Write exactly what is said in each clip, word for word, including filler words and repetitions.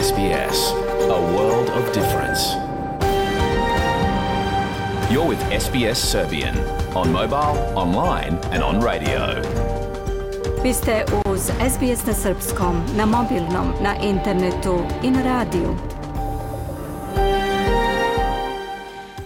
S B S, a world of difference. You're with S B S Serbian on mobile, online and on radio. Vi ste uz S B S na srpskom, na mobilnom, na internetu i na radiju.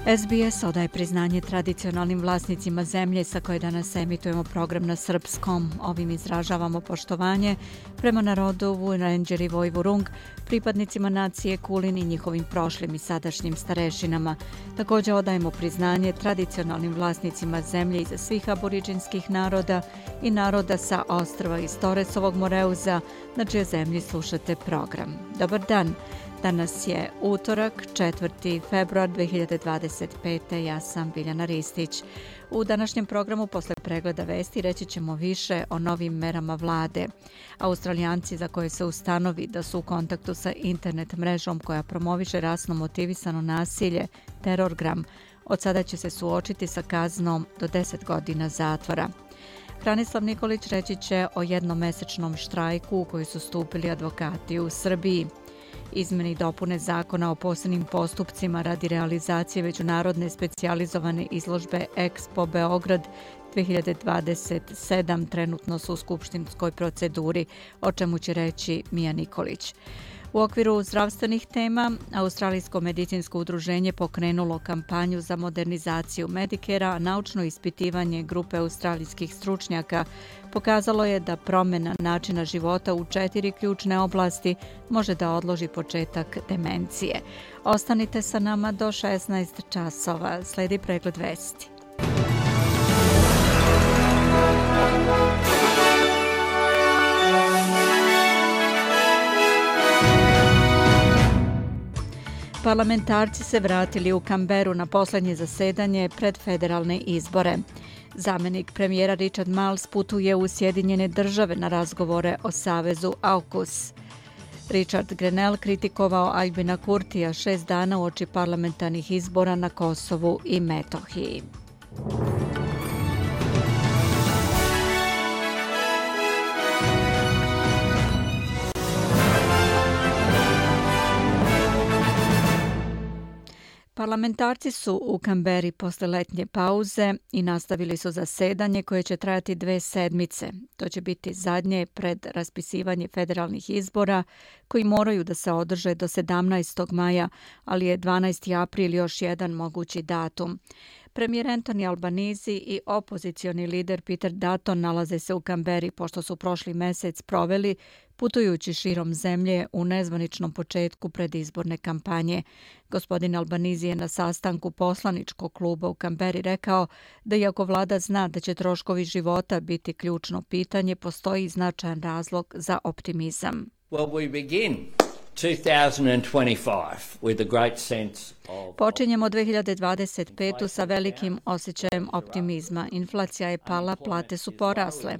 S B S odaje priznanje tradicionalnim vlasnicima zemlje sa koje danas emitujemo program na srpskom. Ovim izražavamo poštovanje prema narodu Wurundjeri i Vojvurung, pripadnicima nacije Kulin i njihovim prošlim i sadašnjim starešinama. Također odajemo priznanje tradicionalnim vlasnicima zemlje iza svih aboriđinskih naroda i naroda sa ostrva iz Toresovog Moreuza, na čije zemlji slušate program. Dobar dan! Danas je utorak, četvrti februar dve hiljade dvadeset pete. Ja sam Biljana Ristić. U današnjem programu posle pregleda vesti reći ćemo više o novim merama vlade. Australijanci za koje se ustanovi da su u kontaktu sa internet mrežom koja promoviše rasno motivisano nasilje, Terorgram, od sada će se suočiti sa kaznom do deset godina zatvora. Hranislav Nikolić reći će o jednomesečnom štrajku u koji su stupili advokati u Srbiji. Izmene i dopune zakona o posebnim postupcima radi realizacije međunarodne specijalizovane izložbe Expo Beograd dve hiljade dvadeset sedam trenutno su u skupštinskoj proceduri, o čemu će reći Mija Nikolić. U okviru zdravstvenih tema, Australijsko medicinsko udruženje pokrenulo kampanju za modernizaciju Medicare-a, a naučno ispitivanje grupe australijskih stručnjaka pokazalo je da promjena načina života u četiri ključne oblasti može da odloži početak demencije. Ostanite sa nama do šesnaest časova. Sledi pregled vesti. Parlamentarci se vratili u Canberru na posljednje zasedanje pred federalne izbore. Zamenik premijera Richard Marles putuje u Sjedinjene države na razgovore o savezu AUKUS. Richard Grenell kritikovao Albina Kurtija šest dana uoči parlamentarnih izbora na Kosovu i Metohiji. Parlamentarci su u Canberri posle letnje pauze i nastavili su zasedanje koje će trajati dve sedmice. To će biti zadnje pred raspisivanje federalnih izbora koji moraju da se održe do sedamnaestog maja, ali je dvanaesti april još jedan mogući datum. Premijer Anthony Albanese i opozicioni lider Peter Dutton nalaze se u Canberri pošto su prošli mesec proveli putujući širom zemlje u nezvaničnom početku predizborne kampanje. Gospodin Albanese je na sastanku poslaničkog kluba u Canberri rekao da iako vlada zna da će troškovi života biti ključno pitanje, postoji značajan razlog za optimizam. Well, we begin two thousand twenty-five with a great sense of... Počinjemo dve hiljade dvadeset petu sa velikim osjećajem optimizma. Inflacija je pala, plate su porasle.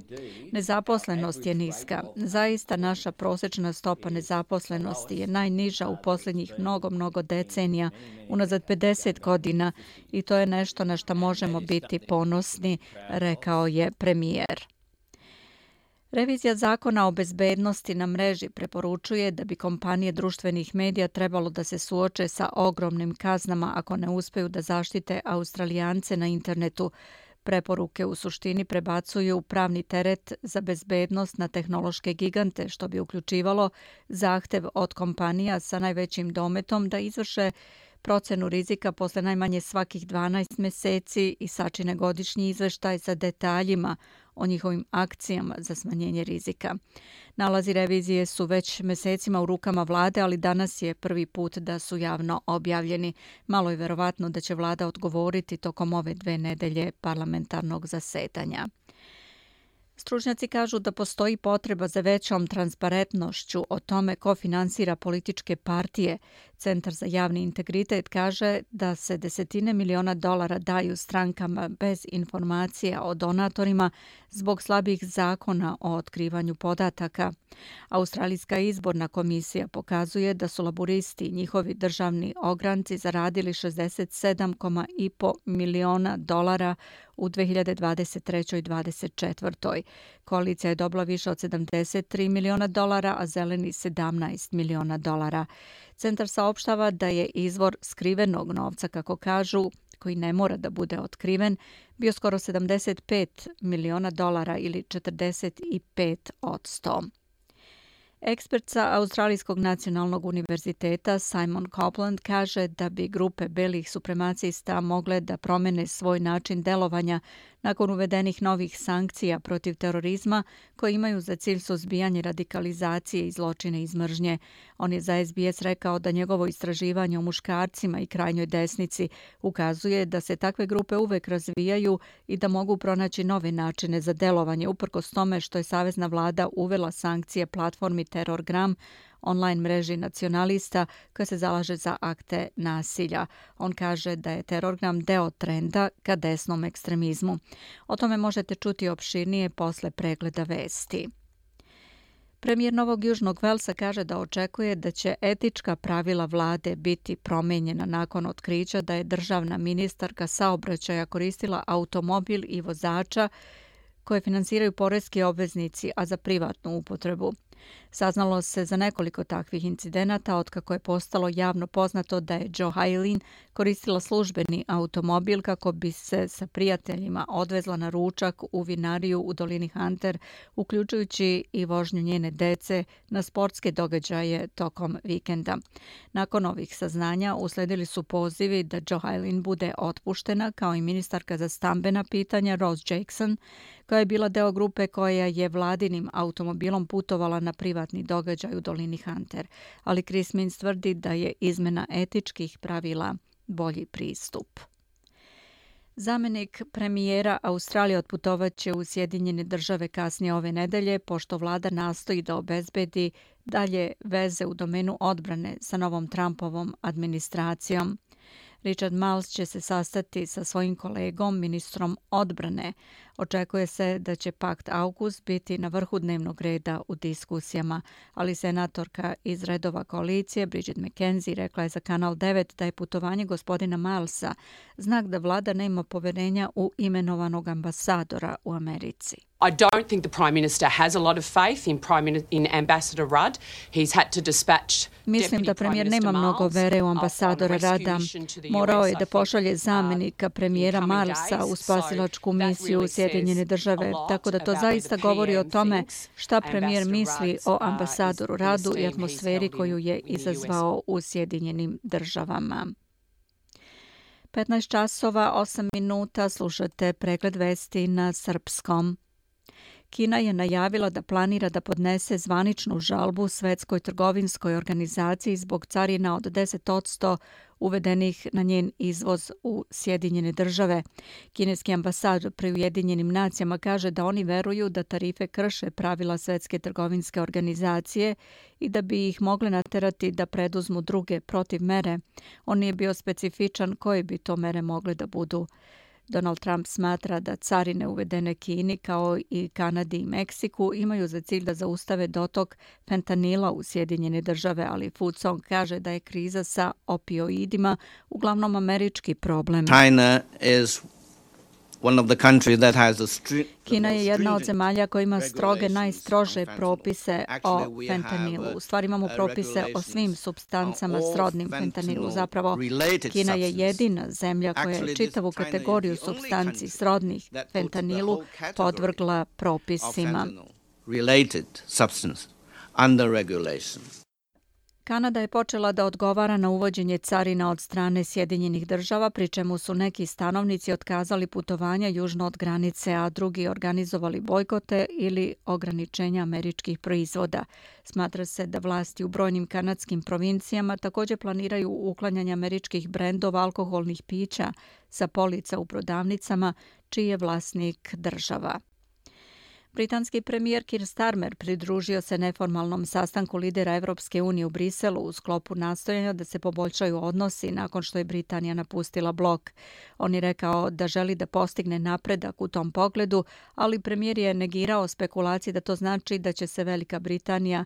Nezaposlenost je niska. Zaista naša prosječna stopa nezaposlenosti je najniža u posljednjih mnogo, mnogo decenija, unazad pedeset godina, i to je nešto na što možemo biti ponosni, rekao je premijer. Revizija zakona o bezbednosti na mreži preporučuje da bi kompanije društvenih medija trebalo da se suoče sa ogromnim kaznama ako ne uspeju da zaštite Australijance na internetu. Preporuke u suštini prebacuju pravni teret za bezbednost na tehnološke gigante, što bi uključivalo zahtev od kompanija sa najvećim dometom da izvrše procenu rizika posle najmanje svakih dvanaest meseci i sačine godišnji izveštaj sa detaljima o njihovim akcijama za smanjenje rizika. Nalazi revizije su već mesecima u rukama vlade, ali danas je prvi put da su javno objavljeni. Malo je verovatno da će vlada odgovoriti tokom ove dve nedelje parlamentarnog zasedanja. Stručnjaci kažu da postoji potreba za većom transparentnošću o tome ko finansira političke partije. Centar za javni integritet kaže da se desetine miliona dolara daju strankama bez informacija o donatorima zbog slabih zakona o otkrivanju podataka. Australijska izborna komisija pokazuje da su laburisti i njihovi državni ogranci zaradili šezdeset sedam zarez pet miliona dolara u dve hiljade dvadeset trećoj i dvadeset četvrtoj. Koalicija je dobila više od sedamdeset tri miliona dolara, a zeleni sedamnaest miliona dolara. Centar saopštava da je izvor skrivenog novca, kako kažu, koji ne mora da bude otkriven, bio skoro sedamdeset pet miliona dolara ili četrdeset pet odsto. Ekspert sa Australijskog nacionalnog univerziteta Simon Copeland kaže da bi grupe belih supremacista mogle da promene svoj način delovanja nakon uvedenih novih sankcija protiv terorizma koje imaju za cilj suzbijanje radikalizacije i zločine iz mržnje. On je za S B S rekao da njegovo istraživanje o muškarcima i krajnjoj desnici ukazuje da se takve grupe uvek razvijaju i da mogu pronaći nove načine za delovanje, uprkos tome što je savezna vlada uvela sankcije platformi Terorgram, online mreži nacionalista koja se zalaže za akte nasilja. On kaže da je Terorgram deo trenda ka desnom ekstremizmu. O tome možete čuti opširnije posle pregleda vesti. Premijer Novog Južnog Velsa kaže da očekuje da će etička pravila vlade biti promenjena nakon otkrića da je državna ministarka saobraćaja koristila automobil i vozača koje finansiraju poreski obveznici, a za privatnu upotrebu. Saznalo se za nekoliko takvih incidenata otkako je postalo javno poznato da je Jo Hailin koristila službeni automobil kako bi se sa prijateljima odvezla na ručak u vinariju u dolini Hunter, uključujući i vožnju njene dece na sportske događaje tokom vikenda. Nakon ovih saznanja usledili su pozivi da Jo Hailin bude otpuštena, kao i ministarka za stambena pitanja Rose Jackson, koja je bila deo grupe koja je vladinim automobilom putovala na privatni događaj u dolini Hunter. Ali Chris Minns tvrdi da je izmena etičkih pravila bolji pristup. Zamenik premijera Australije otputovaće u Sjedinjene države kasnije ove nedelje, pošto vlada nastoji da obezbedi dalje veze u domenu odbrane sa novom Trumpovom administracijom. Richard Marles će se sastati sa svojim kolegom, ministrom odbrane. Očekuje se da će pakt AUKUS biti na vrhu dnevnog reda u diskusijama, ali senatorka iz redova koalicije Bridget McKenzie rekla je za Kanal devet da je putovanje gospodina Marlesa znak da vlada nema poverenja u imenovanog ambasadora u Americi. I don't think the Prime Minister has a lot of faith in, Prime, in Ambassador Rudd. He's had to dispatch Mislim da premijer nema mnogo vere u ambasadora Rada. Morao je da pošalje zamenika premijera Marlesa u spasilačku misiju u Sjedinjene države, tako da to zaista govori o tome šta premijer misli o ambasadoru Radu i atmosferi koju je izazvao u Sjedinjenim državama. petnaest časova osam minuta, slušate pregled vesti na srpskom. Kina je najavila da planira da podnese zvaničnu žalbu Svetskoj trgovinskoj organizaciji zbog carina od deset odsto uvedenih na njen izvoz u Sjedinjene države. Kineski ambasador pri Ujedinjenim nacijama kaže da oni veruju da tarife krše pravila Svetske trgovinske organizacije i da bi ih mogle naterati da preduzmu druge protivmere. On nije bio specifičan koje bi to mere mogle da budu. Donald Trump smatra da carine uvedene Kini kao i Kanadi i Meksiku imaju za cilj da zaustave dotok fentanila u Sjedinjene države, ali Food Song kaže da je kriza sa opioidima uglavnom američki problem. China is one of the countries that has a stri- Kina je jedna od zemalja koja ima stroge, najstrože propise o fentanilu. U stvari imamo propise o svim supstancama srodnim fentanilu. Zapravo, Kina je jedina zemlja koja je čitavu kategoriju supstanci srodnih fentanilu podvrgla propisima. Kanada je počela da odgovara na uvođenje carina od strane Sjedinjenih država, pri čemu su neki stanovnici otkazali putovanja južno od granice, a drugi organizovali bojkote ili ograničenja američkih proizvoda. Smatra se da vlasti u brojnim kanadskim provincijama također planiraju uklanjanje američkih brendova alkoholnih pića sa polica u prodavnicama, čiji je vlasnik država. Britanski premijer Keir Starmer pridružio se neformalnom sastanku lidera Evropske unije u Briselu u sklopu nastojanja da se poboljšaju odnosi nakon što je Britanija napustila blok. On je rekao da želi da postigne napredak u tom pogledu, ali premijer je negirao spekulacije da to znači da će se Velika Britanija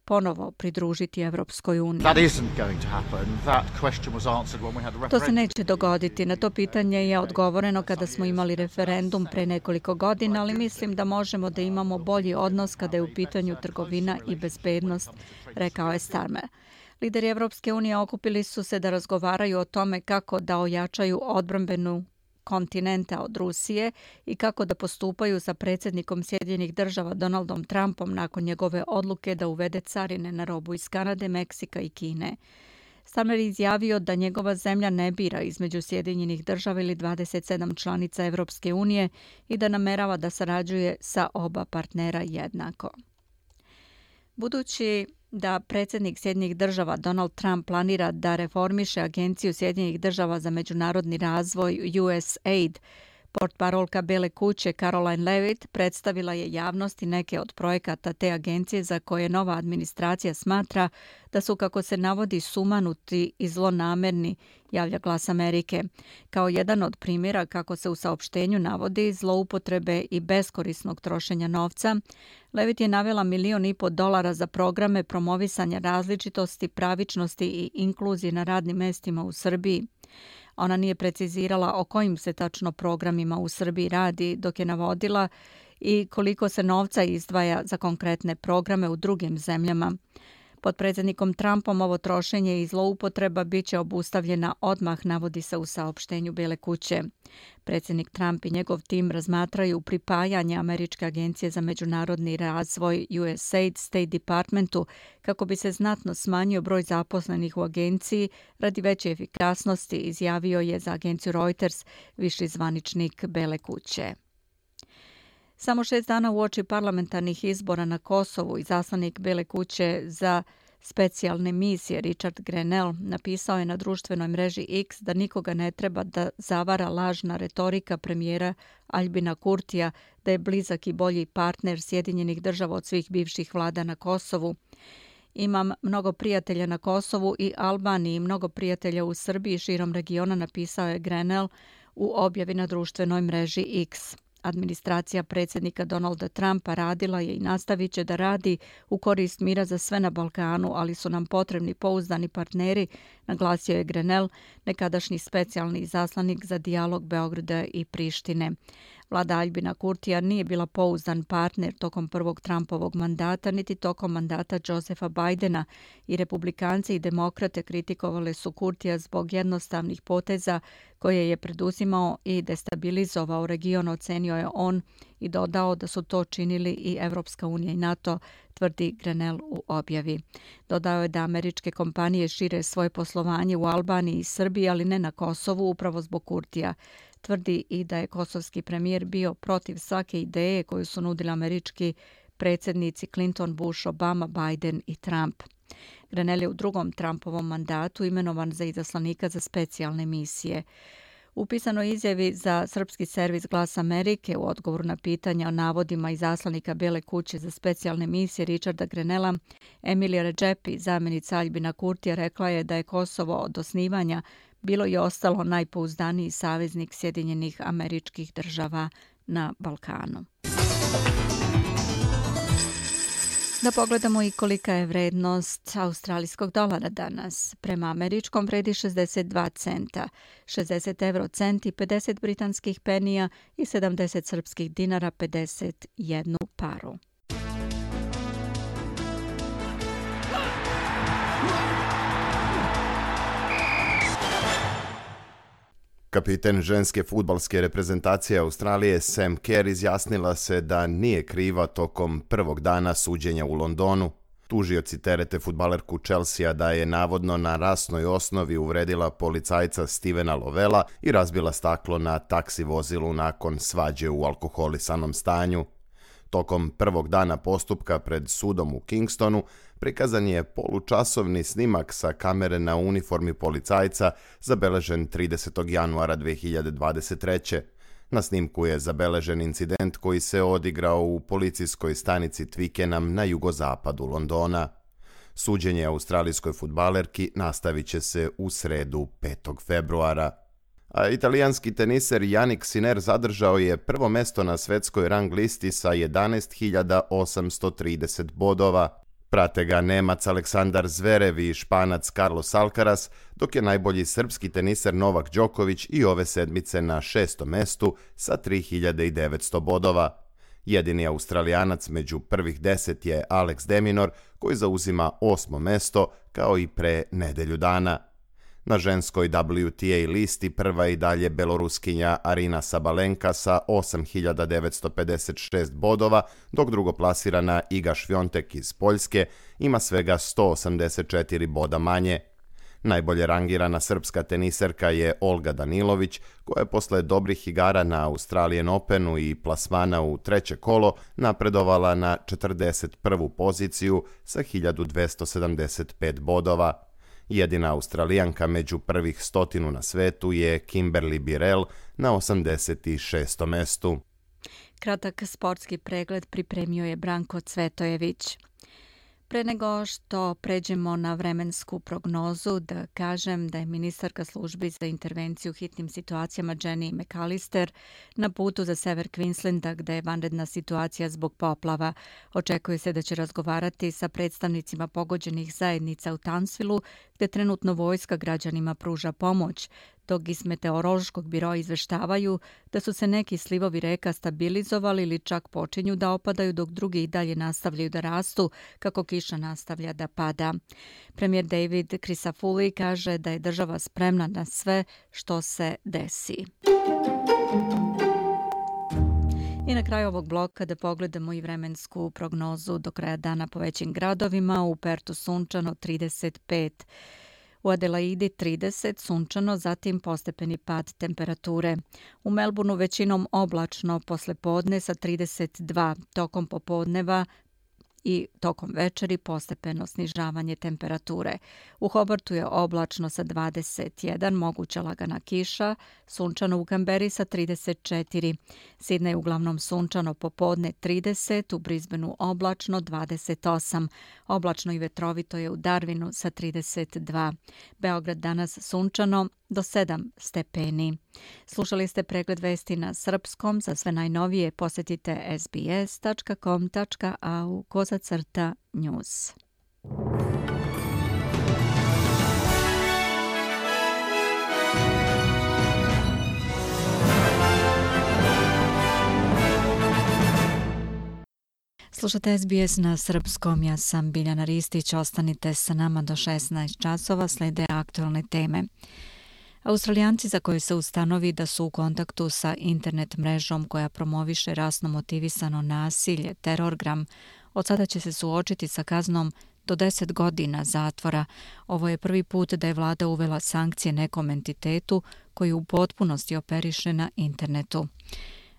ponovo pridružiti Evropskoj uniji. That isn't going to happen. That question was answered when we had the referendum. To se neće dogoditi. Na to pitanje je odgovoreno kada smo imali referendum pre nekoliko godina, ali mislim da možemo da imamo bolji odnos kada je u pitanju trgovina i bezbednost, rekao je Starmer. Lideri Evropske unije okupili su se da razgovaraju o tome kako da ojačaju odbrambenu kontinenta od Rusije i kako da postupaju sa predsjednikom Sjedinjenih država Donaldom Trumpom nakon njegove odluke da uvede carine na robu iz Kanade, Meksika i Kine. Starmer je izjavio da njegova zemlja ne bira između Sjedinjenih država ili dvadeset sedam članica Evropske unije i da namerava da sarađuje sa oba partnera jednako. Budući da predsjednik Sjedinjenih država Donald Trump planira da reformiše Agenciju Sjedinjenih država za međunarodni razvoj U S A I D, portparolka Bele kuće Caroline Levitt predstavila je javnosti neke od projekata te agencije za koje nova administracija smatra da su, kako se navodi, sumanuti i zlonamerni, javlja Glas Amerike. Kao jedan od primjera, kako se u saopštenju navodi, zloupotrebe i beskorisnog trošenja novca, Levitt je navela milion i po dolara za programe promovisanja različitosti, pravičnosti i inkluzije na radnim mestima u Srbiji. Ona nije precizirala o kojim se tačno programima u Srbiji radi, dok je navodila i koliko se novca izdvaja za konkretne programe u drugim zemljama. Pod predsjednikom Trumpom ovo trošenje i zloupotreba bit će obustavljena odmah, navodi se u saopštenju Bele kuće. Predsjednik Trump i njegov tim razmatraju pripajanje Američke agencije za međunarodni razvoj U S A I D State Departmentu kako bi se znatno smanjio broj zaposlenih u agenciji radi veće efikasnosti, izjavio je za agenciju Reuters viši zvaničnik Bele kuće. Samo šest dana uoči parlamentarnih izbora na Kosovu, izaslanik Bele kuće za specijalne misije Richard Grenell napisao je na društvenoj mreži X da nikoga ne treba da zavara lažna retorika premijera Aljbina Kurtija da je blizak i bolji partner Sjedinjenih država od svih bivših vlada na Kosovu. Imam mnogo prijatelja na Kosovu i Albaniji i mnogo prijatelja u Srbiji i širom regiona, napisao je Grenell u objavi na društvenoj mreži X. Administracija predsjednika Donalda Trumpa radila je i nastavit će da radi u korist mira za sve na Balkanu, ali su nam potrebni pouzdani partneri, naglasio je Grenell, nekadašnji specijalni izaslanik za dijalog Beograda i Prištine. Vlada Aljbina Kurtija nije bila pouzdan partner tokom prvog Trumpovog mandata, niti tokom mandata Josepha Bidena i republikanci i demokrate kritikovali su Kurtija zbog jednostavnih poteza koje je preduzimao i destabilizovao region, ocenio je on i dodao da su to činili i Evropska unija i NATO, tvrdi Grenell u objavi. Dodao je da američke kompanije šire svoje poslovanje u Albaniji i Srbiji, ali ne na Kosovu, upravo zbog Kurtija. Tvrdi i da je kosovski premijer bio protiv svake ideje koju su nudili američki predsjednici Clinton, Bush, Obama, Biden i Trump. Grenell je u drugom Trumpovom mandatu imenovan za izaslanika za specijalne misije. U pisanoj izjavi za srpski servis Glas Amerike u odgovoru na pitanja o navodima izaslanika Bele kuće za specijalne misije Richarda Grenella, Emilija Redžepi, zamjenica Aljbina Kurtija, rekla je da je Kosovo od osnivanja bilo i ostalo najpouzdaniji saveznik Sjedinjenih Američkih Država na Balkanu. Da pogledamo i kolika je vrednost australijskog dolara danas. Prema američkom vredi šezdeset dva centa, šezdeset euro centi, pedeset britanskih penija i sedamdeset srpskih dinara, pedeset jednu paru. Kapiten ženske fudbalske reprezentacije Australije Sam Kerr izjasnila se da nije kriva tokom prvog dana suđenja u Londonu. Tužioci terete fudbalerku Chelsea da je navodno na rasnoj osnovi uvredila policajca Stevena Lovella i razbila staklo na taksi vozilu nakon svađe u alkoholisanom stanju. Tokom prvog dana postupka pred sudom u Kingstonu prikazan je polučasovni snimak sa kamere na uniformi policajca zabeležen tridesetog januara dve hiljade dvadeset treće. Na snimku je zabeležen incident koji se odigrao u policijskoj stanici Twickenham na jugozapadu Londona. Suđenje australijskoj fudbalerki nastavit će se u sredu petog februara. A italijanski teniser Jannik Sinner zadržao je prvo mesto na svetskoj rang listi sa jedanaest hiljada osamsto trideset bodova. Prate ga Nemac Aleksandar Zverev i Španac Carlos Alcaraz, dok je najbolji srpski teniser Novak Đoković i ove sedmice na šestom mestu sa tri hiljade devetsto bodova. Jedini Australijanac među prvih deset je Alex de Minaur, koji zauzima osmo mesto, kao i pre nedelju dana. Na ženskoj W T A listi prva je i dalje Beloruskinja Arina Sabalenka sa osam hiljada devetsto pedeset šest bodova, dok drugoplasirana Iga Švjontek iz Poljske ima svega sto osamdeset četiri boda manje. Najbolje rangirana srpska teniserka je Olga Danilović, koja je posle dobrih igara na Australian Openu i plasmana u treće kolo napredovala na četrdeset prvu poziciju sa hiljadu dvesta sedamdeset pet bodova. Jedina Australijanka među prvih stotinu na svetu je Kimberly Birrell na osamdeset šestom mestu. Kratak sportski pregled pripremio je Branko Cvetojević. Pre nego što pređemo na vremensku prognozu, da kažem da je ministarka službi za intervenciju u hitnim situacijama Jenny McAllister na putu za sever Queenslanda, gde je vanredna situacija zbog poplava. Očekuje se da će razgovarati sa predstavnicima pogođenih zajednica u Townsvillu, gde trenutno vojska građanima pruža pomoć, dok iz meteorološkog biroa izveštavaju da su se neki slivovi reka stabilizovali ili čak počinju da opadaju, dok drugi i dalje nastavljaju da rastu kako kiša nastavlja da pada. Premijer David Crisafulli kaže da je država spremna na sve što se desi. I na kraju ovog bloka da pogledamo i vremensku prognozu do kraja dana po većim gradovima. U Pertu sunčano trideset pet. U Adelaidi trideset, sunčano, zatim postepeni pad temperature. U Melbourneu većinom oblačno posle podne sa trideset dva, tokom popodneva i tokom večeri postepeno snižavanje temperature. U Hobartu je oblačno sa dvadeset jedan, moguća lagana kiša, sunčano u Kamberi sa trideset četiri. Sidney uglavnom sunčano popodne trideset, u Brisbaneu oblačno dvadeset osam. Oblačno i vetrovito je u Darwinu sa trideset dva. Beograd danas sunčano do sedam stepeni. Slušali ste pregled vesti na srpskom. Za sve najnovije posjetite s b s tačka com tačka a u kozacrta news. Slušate S B S na srpskom, ja sam Biljana Ristić, ostanite sa nama do šesnaest časova, slede aktualne teme. Australijanci za koje se ustanovi da su u kontaktu sa internet mrežom koja promoviše rasno motivisano nasilje, terorgram, od sada će se suočiti sa kaznom do deset godina zatvora. Ovo je prvi put da je vlada uvela sankcije nekom entitetu koji u potpunosti operiše na internetu.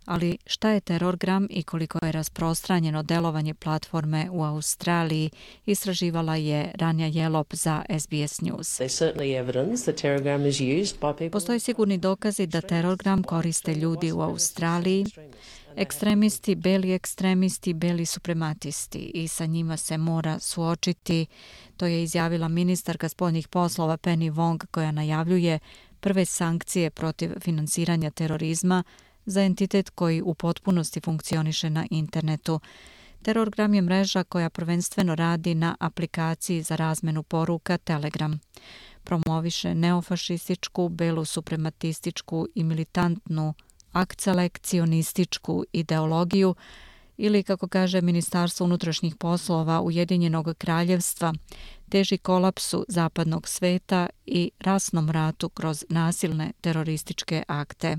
Ali šta je terorgram i koliko je rasprostranjeno delovanje platforme u Australiji, istraživala je Ranja Jelop za S B S News. Postoje sigurni dokazi da terorgram koriste ljudi u Australiji, ekstremisti, beli ekstremisti, beli suprematisti, i sa njima se mora suočiti. To je izjavila ministarka spoljnih poslova Penny Wong, koja najavljuje prve sankcije protiv finansiranja terorizma za entitet koji u potpunosti funkcioniše na internetu. Terorgram je mreža koja prvenstveno radi na aplikaciji za razmenu poruka Telegram. Promoviše neofašističku, belu suprematističku i militantnu akcelekcionističku ideologiju, ili, kako kaže Ministarstvo unutrašnjih poslova Ujedinjenog kraljevstva, teži kolapsu zapadnog sveta i rasnom ratu kroz nasilne terorističke akte.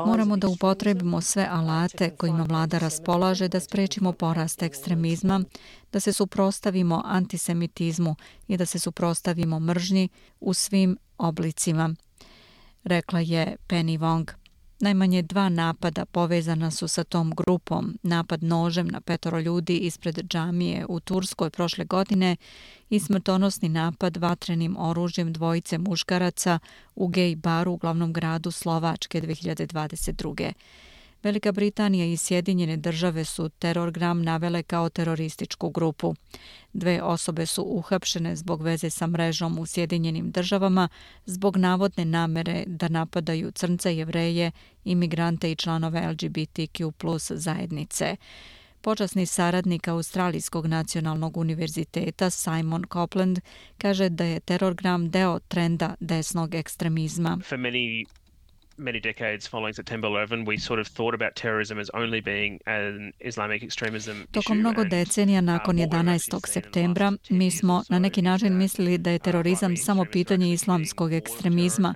Moramo da upotrebimo sve alate kojima vlada raspolaže da sprečimo porast ekstremizma, da se suprotstavimo antisemitizmu i da se suprotstavimo mržnji u svim oblicima, rekla je Penny Wong. Najmanje dva napada povezana su sa tom grupom, napad nožem na petoro ljudi ispred džamije u Turskoj prošle godine i smrtonosni napad vatrenim oružjem dvojice muškaraca u gej baru u glavnom gradu Slovačke dve hiljade dvadeset druge. Velika Britanija i Sjedinjene države su terorgram navele kao terorističku grupu. Dve osobe su uhapšene zbog veze sa mrežom u Sjedinjenim državama zbog navodne namere da napadaju crnce, Jevreje, imigrante i članove L G B T Q plus zajednice. Počasni saradnik Australijskog nacionalnog univerziteta Simon Copeland kaže da je terorgram deo trenda desnog ekstremizma. For many many decades following September eleventh, we sort of thought about terrorism as only being an Islamic extremism issue. Tokom mnogo decenija nakon jedanaestog septembra, mi smo na neki način mislili da je terorizam samo pitanje islamskog ekstremizma,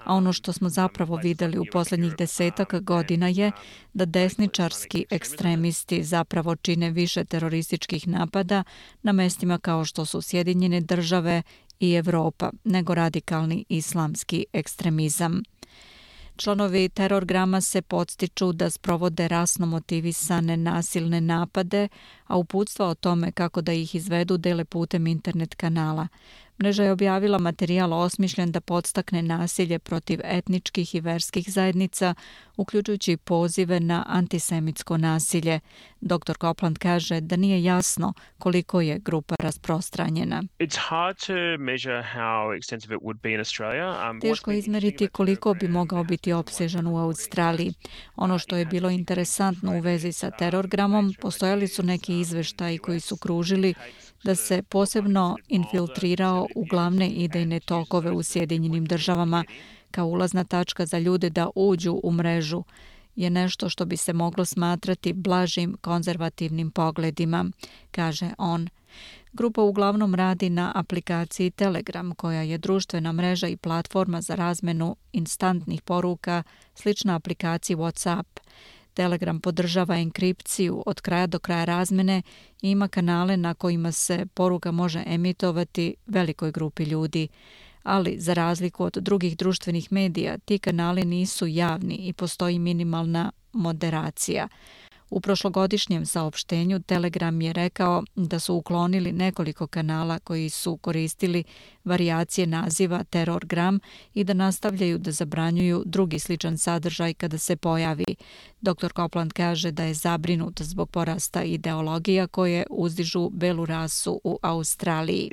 a ono što smo zapravo vidjeli u posljednjih desetak godina je da desničarski ekstremisti zapravo čine više terorističkih napada na mestima kao što su Sjedinjene države i Evropa, nego radikalni islamski ekstremizam. Članovi terorgrama se podstiču da sprovode rasno motivisane nasilne napade, a uputstva o tome kako da ih izvedu dele putem internet kanala. Mreža je objavila materijal osmišljen da podstakne nasilje protiv etničkih i verskih zajednica, uključujući pozive na antisemitsko nasilje. doktor Copeland kaže da nije jasno koliko je grupa rasprostranjena. Teško je izmeriti koliko bi mogao biti opsežan u Australiji. Ono što je bilo interesantno u vezi sa terorgramom, postojali su neki izveštaji koji su kružili da se posebno infiltrirao u glavne idejne tokove u Sjedinjenim državama kao ulazna tačka za ljude da uđu u mrežu je nešto što bi se moglo smatrati blažim konzervativnim pogledima, kaže on. Grupa uglavnom radi na aplikaciji Telegram, koja je društvena mreža i platforma za razmenu instantnih poruka, slična aplikaciji WhatsApp. Telegram podržava enkripciju od kraja do kraja razmene i ima kanale na kojima se poruka može emitovati velikoj grupi ljudi. Ali, za razliku od drugih društvenih medija, ti kanali nisu javni i postoji minimalna moderacija. U prošlogodišnjem saopštenju Telegram je rekao da su uklonili nekoliko kanala koji su koristili varijacije naziva terorgram i da nastavljaju da zabranjuju drugi sličan sadržaj kada se pojavi. doktor Copeland kaže da je zabrinut zbog porasta ideologija koje uzdižu belu rasu u Australiji.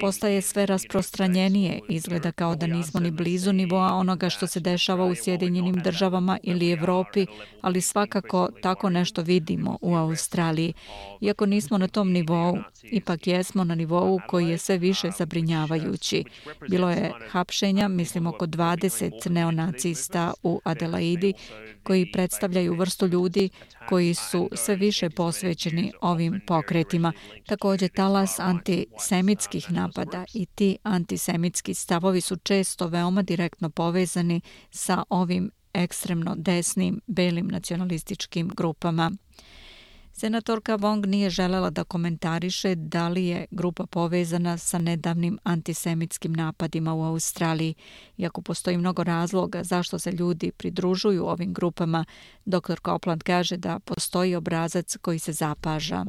Postaje sve rasprostranjenije, izgleda kao da nismo ni blizu nivoa onoga što se dešava u Sjedinjenim državama ili Evropi, ali svakako tako nešto vidimo u Australiji. Iako nismo na tom nivou, ipak jesmo na nivou koji je sve više zabrinjavajući. Bilo je hapšenja, mislim oko dvadeset neonacista u Adelaidi, koji predstavljaju vrstu ljudi koji su sve više posvećeni ovim pokretima. Također talas antisemitskih napada i ti antisemitski stavovi su često veoma direktno povezani sa ovim ekstremno desnim belim nacionalističkim grupama. Senatorka Wong nije želela da komentariše da li je grupa povezana sa nedavnim antisemitskim napadima u Australiji. Iako postoji mnogo razloga zašto se ljudi pridružuju ovim grupama, doktor Copeland kaže da postoji obrazac koji se zapaža.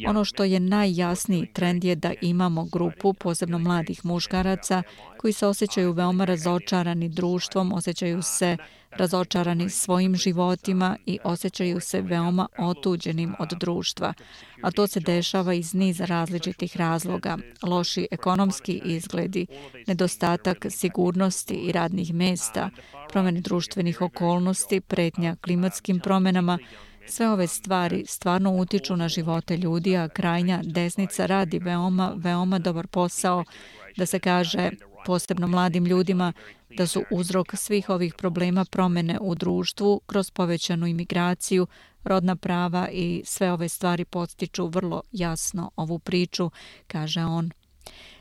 Ono što je najjasniji trend je da imamo grupu, posebno mladih muškaraca, koji se osjećaju veoma razočarani društvom, osjećaju se razočarani svojim životima i osjećaju se veoma otuđenim od društva. A to se dešava iz niza različitih razloga. Loši ekonomski izgledi, nedostatak sigurnosti i radnih mesta, promjene društvenih okolnosti, pretnja klimatskim promjenama. Sve ove stvari stvarno utiču na živote ljudi, a krajnja desnica radi veoma, veoma dobar posao da se kaže posebno mladim ljudima da su uzrok svih ovih problema promjene u društvu kroz povećanu imigraciju, rodna prava i sve ove stvari podstiču vrlo jasno ovu priču, kaže on.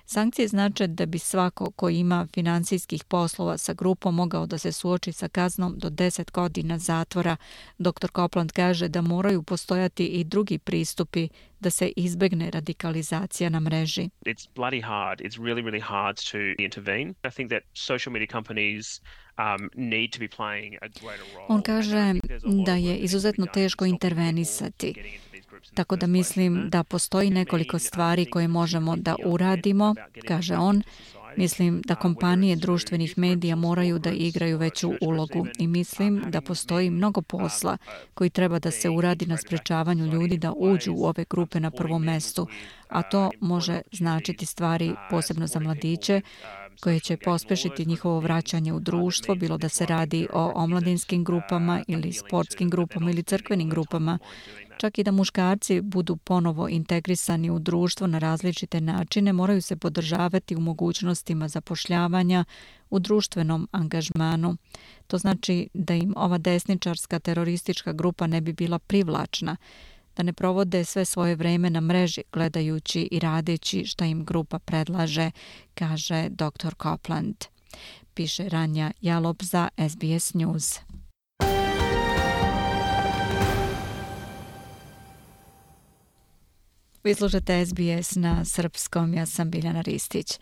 Sankcije znače da bi svako ko ima finansijskih poslova sa grupom mogao da se suoči sa kaznom do deset godina zatvora. doktor Copeland kaže da moraju postojati i drugi pristupi da se izbegne radikalizacija na mreži. It's bloody hard. It's really, really hard to intervene. I think that social media companies um, need to be playing a greater role. On kaže da je izuzetno teško intervenisati. Tako da mislim da postoji nekoliko stvari koje možemo da uradimo, kaže on. Mislim da kompanije društvenih medija moraju da igraju veću ulogu i mislim da postoji mnogo posla koji treba da se uradi na sprečavanju ljudi da uđu u ove grupe na prvom mestu, a to može značiti stvari posebno za mladiće, koje će pospešiti njihovo vraćanje u društvo, bilo da se radi o omladinskim grupama ili sportskim grupama ili crkvenim grupama, čak i da muškarci budu ponovo integrisani u društvo na različite načine, moraju se podržavati u mogućnostima zapošljavanja, u društvenom angažmanu. To znači da im ova desničarska teroristička grupa ne bi bila privlačna, da ne provode sve svoje vreme na mreži gledajući i radeći šta im grupa predlaže, kaže doktor Copeland. Piše Ranja Jalop za S B S News. Vi slušate S B S na srpskom, ja sam Biljana Ristić.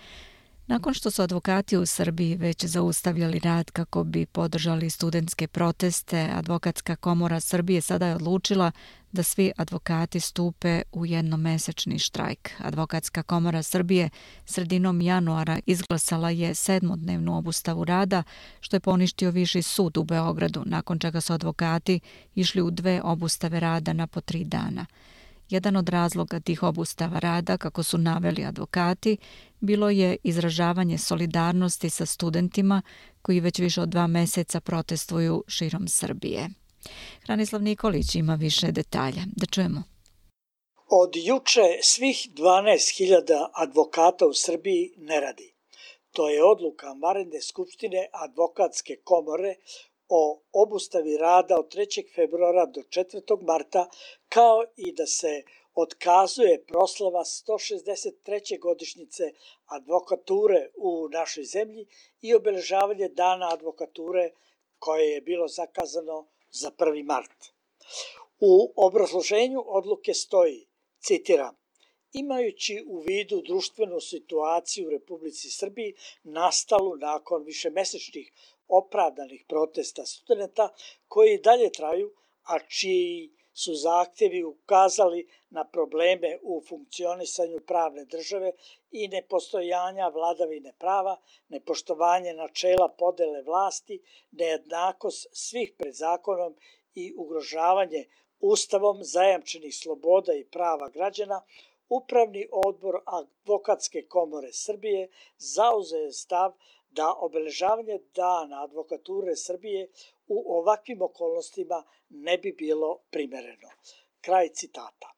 Nakon što su advokati u Srbiji već zaustavljali rad kako bi podržali studentske proteste, Advokatska komora Srbije sada je odlučila da svi advokati stupe u jednomesečni štrajk. Advokatska komora Srbije sredinom januara izglasala je sedmodnevnu obustavu rada, što je poništio Viši sud u Beogradu, nakon čega su advokati išli u dve obustave rada na po tri dana. Jedan od razloga tih obustava rada, kako su naveli advokati, bilo je izražavanje solidarnosti sa studentima koji već više od dva meseca protestuju širom Srbije. Hranislav Nikolić ima više detalja. Da čujemo. Od juče svih dvanaest hiljada advokata u Srbiji ne radi. To je odluka vanredne skupštine Advokatske komore o obustavi rada od trećeg februara do četvrtog marta, kao i da se otkazuje proslava sto šezdeset treće godišnjice advokature u našoj zemlji i obeležavanje dana advokature koje je bilo zakazano za prvi mart. U obrazloženju odluke stoji, citiram, imajući u vidu društvenu situaciju u Republici Srbiji nastalu nakon višemesečnih opravdanih protesta studenta koji dalje traju, a čiji su zahtjevi ukazali na probleme u funkcionisanju pravne države i nepostojanja vladavine prava, nepoštovanje načela podele vlasti, nejednakost svih pred zakonom i ugrožavanje Ustavom zajamčenih sloboda i prava građana, Upravni odbor Advokatske komore Srbije zauzeo je stav da obeležavanje dana advokature Srbije u ovakvim okolnostima ne bi bilo primereno. Kraj citata.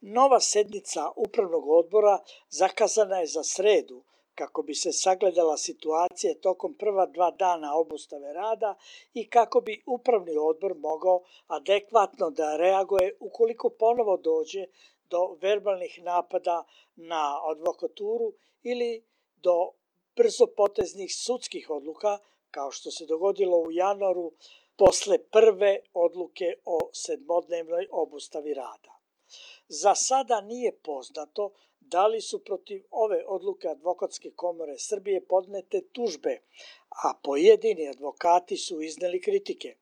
Nova sednica Upravnog odbora zakazana je za sredu kako bi se sagledala situacija tokom prva dva dana obustave rada i kako bi Upravni odbor mogao adekvatno da reaguje ukoliko ponovo dođe do verbalnih napada na advokaturu ili do brzopoteznih sudskih odluka, kao što se dogodilo u januaru posle prve odluke o sedmodnevnoj obustavi rada. Za sada nije poznato da li su protiv ove odluke Advokatske komore Srbije podnete tužbe, a pojedini advokati su izneli kritike.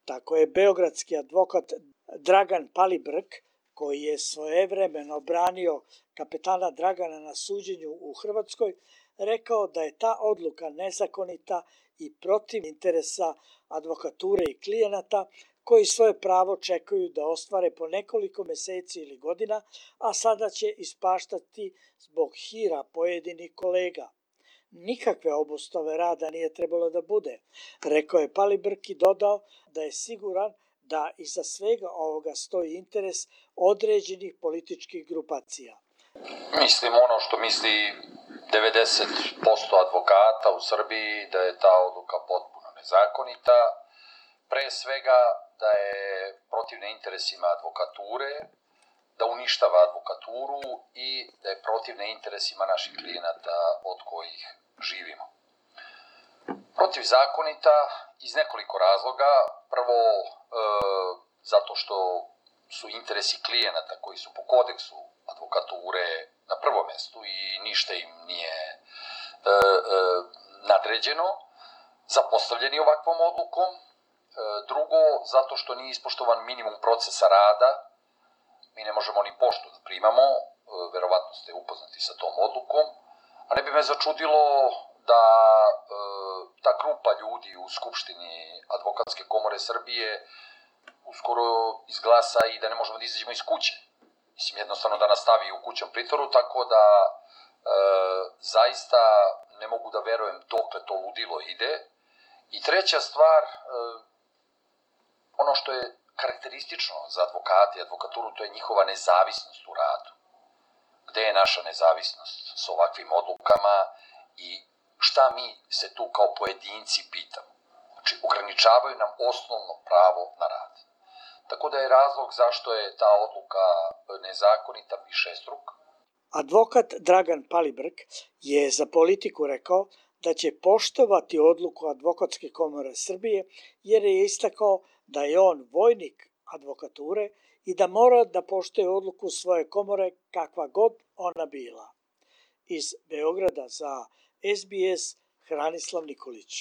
Tako je beogradski advokat Dragan Palibrk, koji je svojevremeno branio kapetana Dragana na suđenju u Hrvatskoj, rekao da je ta odluka nezakonita i protiv interesa advokature i klijenata koji svoje pravo čekaju da ostvare po nekoliko meseci ili godina, a sada će ispaštati zbog hira pojedinih kolega. Nikakve obustave rada nije trebalo da bude, rekao je Palibrk i dodao da je siguran da iza svega ovoga stoji interes određenih političkih grupacija. Mislim ono što misli devedeset posto advokata u Srbiji, da je ta odluka potpuno nezakonita, pre svega da je protivna interesima advokature, da uništava advokaturu i da je protivna interesima naših klijenata od kojih živimo. Protivzakonita iz nekoliko razloga. Prvo, e, zato što su interesi klijenata koji su po kodeksu advokature na prvom mestu i ništa im nije e, e, nadređeno, zapostavljeni ovakvom odlukom. E, drugo, zato što nije ispoštovan minimum procesa rada. Mi ne možemo ni poštu da primamo, e, verovatno ste upoznati sa tom odlukom, a ne bi me začudilo da e, ta grupa ljudi u Skupštini Advokatske komore Srbije uskoro izglasa i da ne možemo da izađemo iz kuće. Mislim, jednostavno da nastavi u kućnom pritvoru, tako da e, zaista ne mogu da verujem dokle to ludilo ide. I treća stvar, ono što je karakteristično za advokate i advokaturu, to je njihova nezavisnost u radu. Gde je naša nezavisnost s ovakvim odlukama i šta mi se tu kao pojedinci pitamo? Znači, ograničavaju nam osnovno pravo na rad. Tako da je razlog zašto je ta odluka nezakonita višestruk. Advokat Dragan Palibrk je za Politiku rekao da će poštovati odluku Advokatske komore Srbije jer je istakao da je on vojnik advokature i da mora da poštuje odluku svoje komore kakva god ona bila. Iz Beograda za S B S Hranislav Nikolić.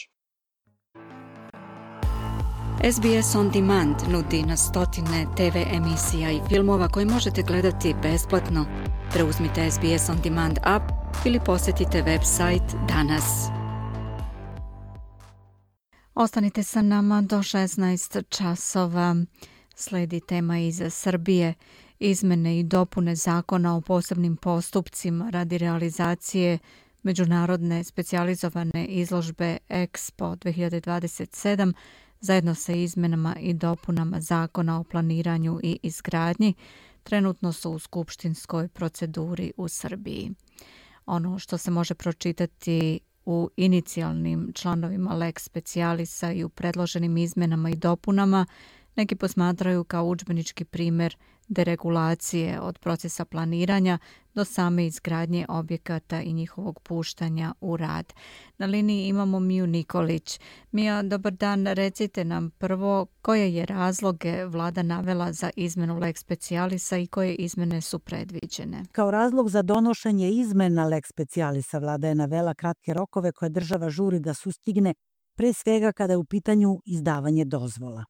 S B S On Demand nudi na stotine T V emisija i filmova koje možete gledati besplatno. Preuzmite S B S On Demand app ili posjetite website danas. Ostanite sa nama do šesnaest časova. Sledi tema iz Srbije. Izmene i dopune zakona o posebnim postupcima radi realizacije međunarodne specijalizovane izložbe Expo dve hiljade dvadeset sedam zajedno sa izmenama i dopunama zakona o planiranju i izgradnji trenutno su u skupštinskoj proceduri u Srbiji. Ono što se može pročitati u inicijalnim članovima lex specialisa i u predloženim izmenama i dopunama neki posmatraju kao udžbenički primjer deregulacije od procesa planiranja do same izgradnje objekata i njihovog puštanja u rad. Na liniji imamo Miju Nikolić. Mija, dobar dan. Recite nam prvo koje je razloge vlada navela za izmenu lex specialisa i koje izmene su predviđene. Kao razlog za donošenje izmena lex specialisa vlada je navela kratke rokove koje država žuri da sustigne, pre svega kada je u pitanju izdavanje dozvola.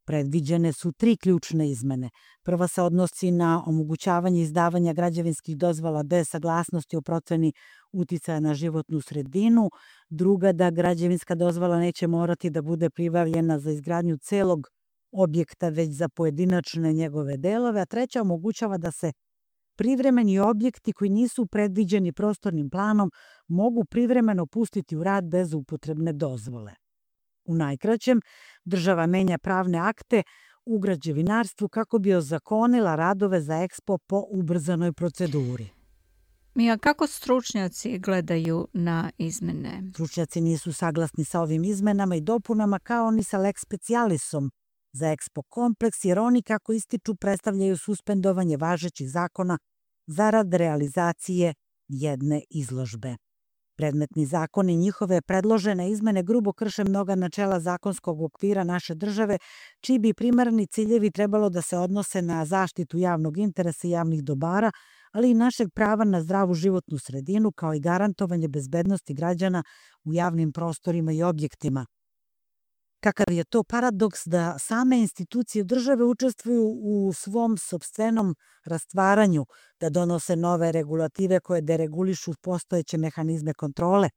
Predviđene su tri ključne izmene. Prva se odnosi na omogućavanje izdavanja građevinskih dozvola bez saglasnosti o proceni uticaja na životnu sredinu. Druga, da građevinska dozvola neće morati da bude pribavljena za izgradnju celog objekta, već za pojedinačne njegove delove. A treća omogućava da se privremeni objekti koji nisu predviđeni prostornim planom mogu privremeno pustiti u rad bez upotrebne dozvole. U najkraćem, država menja pravne akte u građevinarstvu kako bi ozakonila radove za Expo po ubrzanoj proceduri. Mija, kako stručnjaci gledaju na izmene? Stručnjaci nisu saglasni sa ovim izmenama i dopunama kao ni sa lex specialisom za Expo kompleks, jer oni, kako ističu, predstavljaju suspendovanje važećih zakona zarad realizacije jedne izložbe. Predmetni zakon i njihove predložene izmene grubo krše mnoga načela zakonskog okvira naše države, čiji bi primarni ciljevi trebalo da se odnose na zaštitu javnog interesa i javnih dobara, ali i našeg prava na zdravu životnu sredinu, kao i garantovanje bezbednosti građana u javnim prostorima i objektima. Kakav je to paradoks da same institucije države učestvuju u svom sopstvenom rastvaranju, da donose nove regulative koje deregulišu postojeće mehanizme kontrole,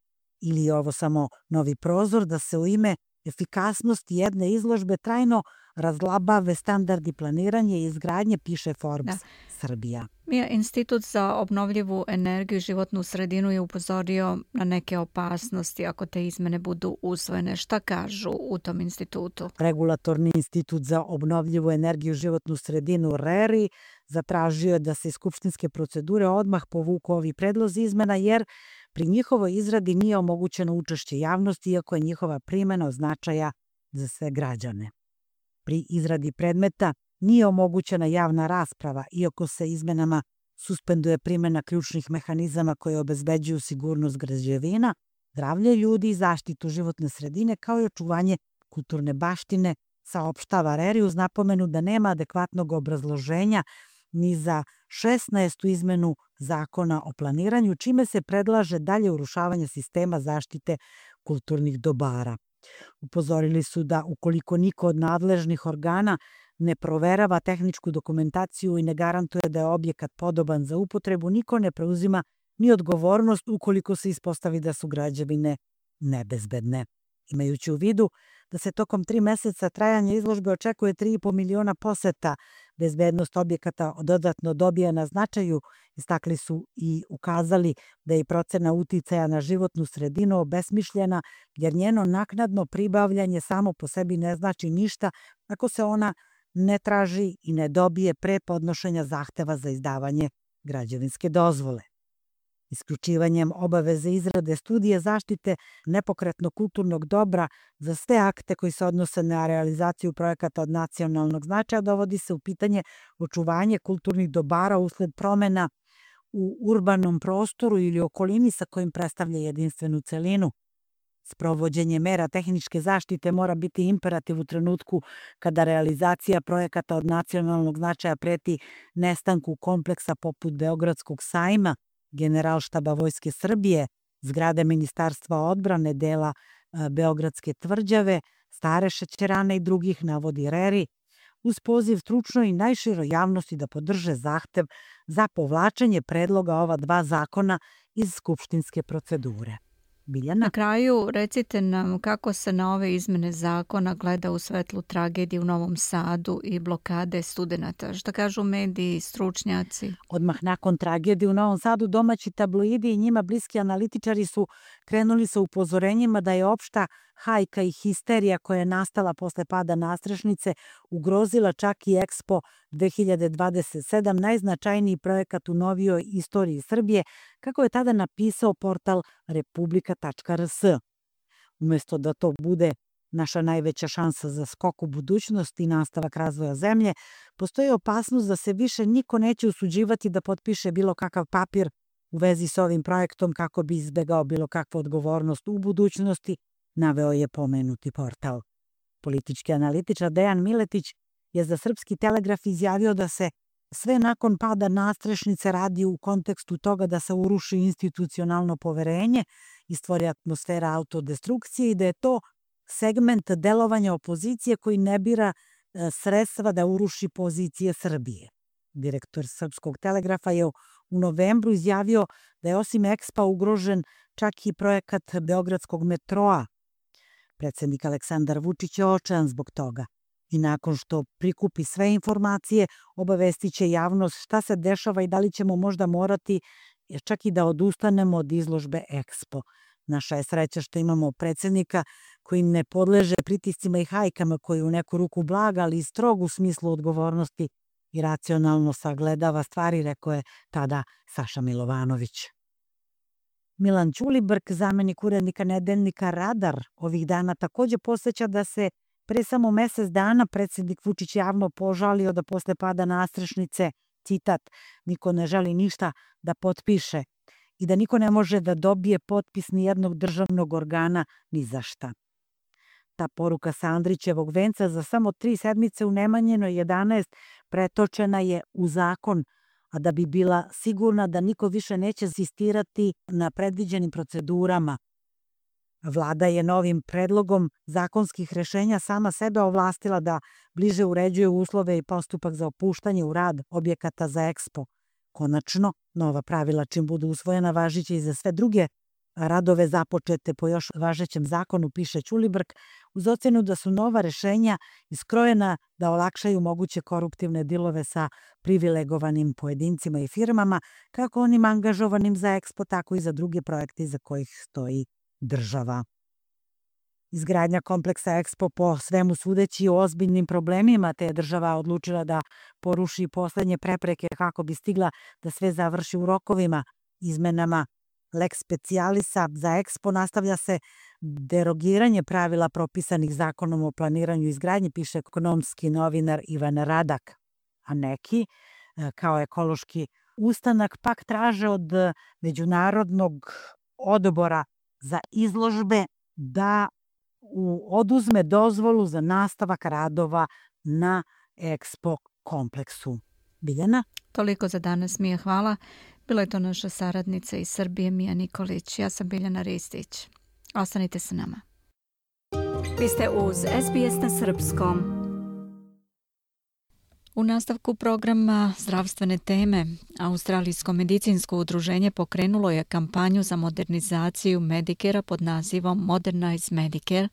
ili je ovo samo novi prozor da se u ime efikasnosti jedne izložbe trajno razlabave standardi planiranja i izgradnje, piše Forbes Srbija. Mija, Institut za obnovljivu energiju i životnu sredinu je upozorio na neke opasnosti ako te izmene budu usvojene. Šta kažu u tom institutu? Regulatorni institut za obnovljivu energiju i životnu sredinu R E R I zatražio je da se iz skupštinske procedure odmah povuku ovi predlozi izmena, jer pri njihovoj izradi nije omogućeno učešće javnosti, iako je njihova primjena od značaja za sve građane. Pri izradi predmeta nije omogućena javna rasprava, iako se izmenama suspenduje primjena ključnih mehanizama koje obezbeđuju sigurnost građevina, zdravlje ljudi i zaštitu životne sredine, kao i očuvanje kulturne baštine, saopštava R E R I uz napomenu da nema adekvatnog obrazloženja ni za šesnaestu izmenu zakona o planiranju, čime se predlaže dalje urušavanje sistema zaštite kulturnih dobara. Upozorili su da ukoliko niko od nadležnih organa ne proverava tehničku dokumentaciju i ne garantuje da je objekat podoban za upotrebu, niko ne preuzima ni odgovornost ukoliko se ispostavi da su građevine nebezbedne. Imajući u vidu da se tokom tri meseca trajanja izložbe očekuje tri i po miliona poseta bezbednost objekata dodatno dobija na značaju, istakli su i ukazali da je procena uticaja na životnu sredinu obesmišljena, jer njeno naknadno pribavljanje samo po sebi ne znači ništa ako se ona ne traži i ne dobije pre podnošenja zahteva za izdavanje građevinske dozvole. Isključivanjem obaveze izrade studije zaštite nepokretnog kulturnog dobra za sve akte koji se odnose na realizaciju projekata od nacionalnog značaja dovodi se u pitanje očuvanje kulturnih dobara usled promena u urbanom prostoru ili okolini sa kojim predstavlja jedinstvenu celinu. Sprovođenje mera tehničke zaštite mora biti imperativ u trenutku kada realizacija projekata od nacionalnog značaja preti nestanku kompleksa poput Beogradskog sajma, Generalštaba Vojske Srbije, zgrade Ministarstva odbrane, dela Beogradske tvrđave, stare šećerane i drugih, navodi Reri, uz poziv stručnoj i najširoj javnosti da podrže zahtev za povlačenje predloga ova dva zakona iz skupštinske procedure. Biljana? Na kraju recite nam kako se na ove izmene zakona gleda u svetlu tragedije u Novom Sadu i blokade studenata. Šta kažu mediji, stručnjaci? Odmah nakon tragedije u Novom Sadu domaći tabloidi i njima bliski analitičari su krenuli sa upozorenjima da je opšta hajka i histerija koja je nastala posle pada nastrešnice ugrozila čak i Expo dve hiljade dvadeset sedam, najznačajniji projekat u novijoj istoriji Srbije, kako je tada napisao portal republika tačka r s. Umesto da to bude naša najveća šansa za skok u budućnost i nastavak razvoja zemlje, postoji opasnost da se više niko neće usuđivati da potpiše bilo kakav papir u vezi s ovim projektom kako bi izbegao bilo kakvu odgovornost u budućnosti, naveo je pomenuti portal. Politički analitičar Dejan Miletić je za Srpski telegraf izjavio da se sve nakon pada nastrešnice radi u kontekstu toga da se uruši institucionalno poverenje i stvori atmosfera autodestrukcije i da je to segment delovanja opozicije koji ne bira sredstva da uruši pozicije Srbije. Direktor Srpskog telegrafa je u novembru izjavio da je osim Expa ugrožen čak i projekat Beogradskog metroa. Predsednik Aleksandar Vučić je očajan zbog toga i nakon što prikupi sve informacije obavestit će javnost šta se dešava i da li ćemo možda morati čak i da odustanemo od izložbe Expo. Naša je sreća što imamo predsednika koji ne podleže pritiscima i hajkama, koji u neku ruku blaga, ali i strog u smislu odgovornosti i racionalno sagledava stvari, rekao je tada Saša Milovanović. Milan Ćulibrk, zamenik urednika nedeljnika Radar, ovih dana takođe podseća da se pre samo mesec dana predsednik Vučić javno požalio da posle pada nastrešnice, citat, niko ne želi ništa da potpiše i da niko ne može da dobije potpis ni jednog državnog organa ni za šta. Ta poruka sa Andrićevog venca za samo tri sedmice u Nemanjinoj jedanaest pretočena je u zakon, a da bi bila sigurna da niko više neće insistirati na predviđenim procedurama. Vlada je novim predlogom zakonskih rešenja sama sebe ovlastila da bliže uređuje uslove i postupak za opuštanje u rad objekata za Expo. Konačno, nova pravila čim budu usvojena važiće i za sve druge radove započete po još važećem zakonu, piše Ćulibrk, uz ocenu da su nova rešenja iskrojena da olakšaju moguće koruptivne dilove sa privilegovanim pojedincima i firmama, kako onim angažovanim za Expo, tako i za druge projekte za kojih stoji država. Izgradnja kompleksa Expo po svemu sudeći u ozbiljnim problemima, te je država odlučila da poruši poslednje prepreke kako bi stigla da sve završi u rokovima. Izmenama Lex specialisa za Expo nastavlja se derogiranje pravila propisanih zakonom o planiranju i izgradnji, piše ekonomski novinar Ivan Radak. A neki, kao ekološki ustanak, pak traže od Međunarodnog odbora za izložbe da oduzme dozvolu za nastavak radova na Expo kompleksu. Biljana? Toliko za danas, Mija, hvala. Bila je to naša saradnica iz Srbije, Mija Nikolić. Ja sam Biljana Ristić. Ostanite sa nama. Vi ste uz S B S na srpskom. U nastavku programa zdravstvene teme, Australijsko medicinsko udruženje pokrenulo je kampanju za modernizaciju Medicare pod nazivom Modernize Medicare,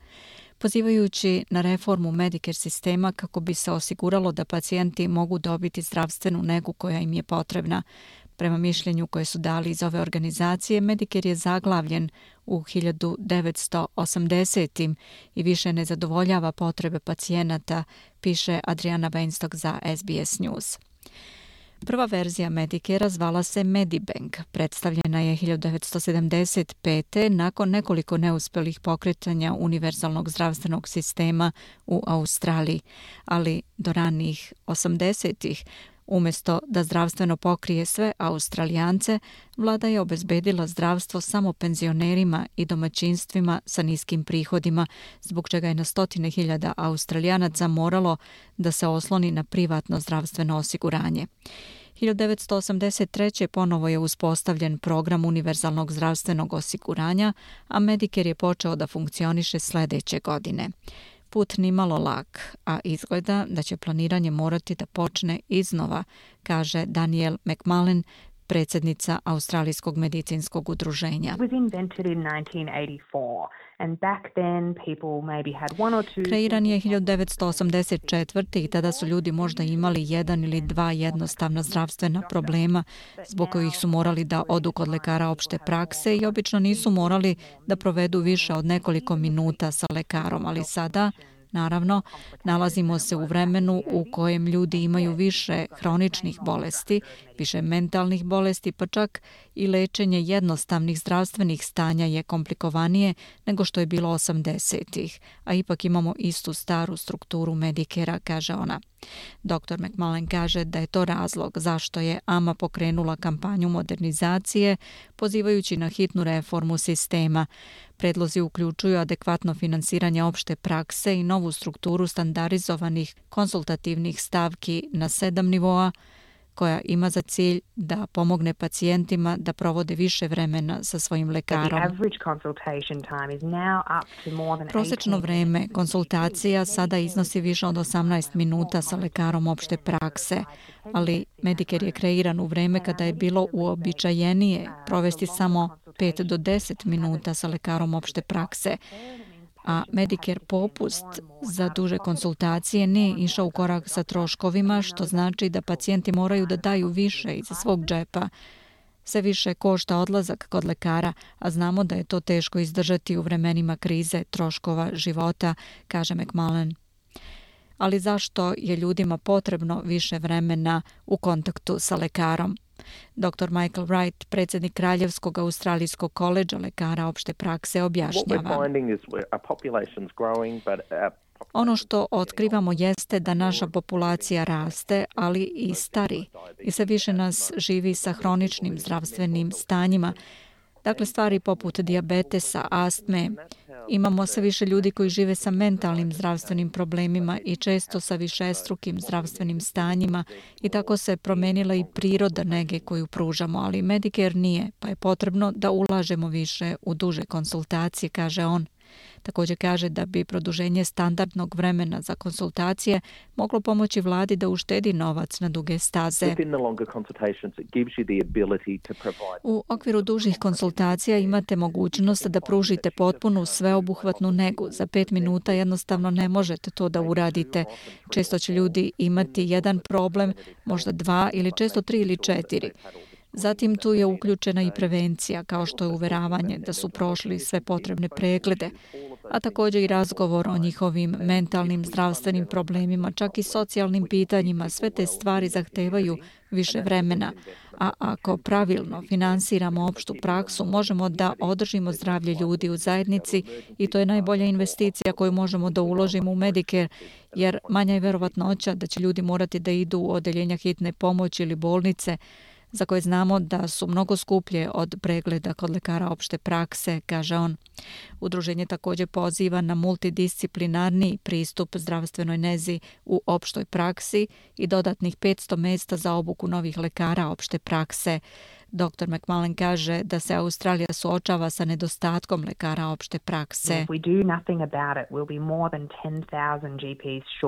pozivajući na reformu Medicare sistema kako bi se osiguralo da pacijenti mogu dobiti zdravstvenu negu koja im je potrebna. Prema mišljenju koje su dali iz ove organizacije, Medicare je zaglavljen u hiljadu devetsto osamdesetim i više ne zadovoljava potrebe pacijenata, piše Adriana Weinstock za S B S News. Prva verzija Medicare zvala se Medibank. Predstavljena je hiljadu devetsto sedamdeset pete nakon nekoliko neuspelih pokretanja univerzalnog zdravstvenog sistema u Australiji, ali do ranih osamdesetih umjesto da zdravstveno pokrije sve Australijance, vlada je obezbedila zdravstvo samo penzionerima i domaćinstvima sa niskim prihodima, zbog čega je na stotine hiljada Australijanaca moralo da se osloni na privatno zdravstveno osiguranje. hiljadu devetsto osamdeset treće ponovo je uspostavljen program univerzalnog zdravstvenog osiguranja, a Medicare je počeo da funkcioniše sledeće godine. Put nimalo lak, a izgleda da će planiranje morati da počne iznova, kaže Danielle McMullen, predsjednica Australijskog medicinskog udruženja. Kreiran je hiljadu devetsto osamdeset četvrte i tada su ljudi možda imali jedan ili dva jednostavna zdravstvena problema zbog kojih su morali da odu kod lekara opšte prakse i obično nisu morali da provedu više od nekoliko minuta sa lekarom, ali sada, naravno, nalazimo se u vremenu u kojem ljudi imaju više hroničnih bolesti, više mentalnih bolesti, pa čak i lečenje jednostavnih zdravstvenih stanja je komplikovanije nego što je bilo osamdesetih, a ipak imamo istu staru strukturu Medicare-a, kaže ona. doktor McMullen kaže da je to razlog zašto je A M A pokrenula kampanju modernizacije, pozivajući na hitnu reformu sistema. Predlozi uključuju adekvatno finansiranje opšte prakse i novu strukturu standardizovanih konsultativnih stavki na sedam nivoa, koja ima za cilj da pomogne pacijentima da provode više vremena sa svojim lekarom. Prosečno vreme konsultacija sada iznosi više od osamnaest minuta sa lekarom opšte prakse, ali Medicare je kreiran u vreme kada je bilo uobičajenije provesti samo pet do deset minuta sa lekarom opšte prakse, a Medicare popust za duže konsultacije nije išao u korak sa troškovima, što znači da pacijenti moraju da daju više iz svog džepa. Sve više košta odlazak kod lekara, a znamo da je to teško izdržati u vremenima krize troškova života, kaže McMullen. Ali zašto je ljudima potrebno više vremena u kontaktu sa lekarom? doktor Michael Wright, predsjednik Kraljevskog australijskog koledža lekara opšte prakse, objašnjava. Ono što otkrivamo jeste da naša populacija raste, ali i stari. I sve više nas živi sa hroničnim zdravstvenim stanjima. Dakle, stvari poput dijabetesa, astme. Imamo sve više ljudi koji žive sa mentalnim zdravstvenim problemima i često sa višestrukim zdravstvenim stanjima i tako se promenila i priroda nege koju pružamo, ali Medicare nije, pa je potrebno da ulažemo više u duže konsultacije, kaže on. Također kaže da bi produženje standardnog vremena za konsultacije moglo pomoći vladi da uštedi novac na duge staze. U okviru dužih konsultacija imate mogućnost da pružite potpunu sveobuhvatnu negu. Za pet minuta jednostavno ne možete to da uradite. Često će ljudi imati jedan problem, možda dva ili često tri ili četiri. Zatim tu je uključena i prevencija, kao što je uveravanje da su prošli sve potrebne preglede, a također i razgovor o njihovim mentalnim zdravstvenim problemima, čak i socijalnim pitanjima. Sve te stvari zahtevaju više vremena, a ako pravilno finansiramo opštu praksu, možemo da održimo zdravlje ljudi u zajednici i to je najbolja investicija koju možemo da uložimo u Medicare, jer manja je verovatnoća da će ljudi morati da idu u odeljenja hitne pomoći ili bolnice, za koje znamo da su mnogo skuplje od pregleda kod lekara opšte prakse, kaže on. Udruženje također poziva na multidisciplinarni pristup zdravstvenoj nezi u opštoj praksi i dodatnih petsto mesta za obuku novih lekara opšte prakse. doktor McMullen kaže da se Australija suočava sa nedostatkom lekara opšte prakse.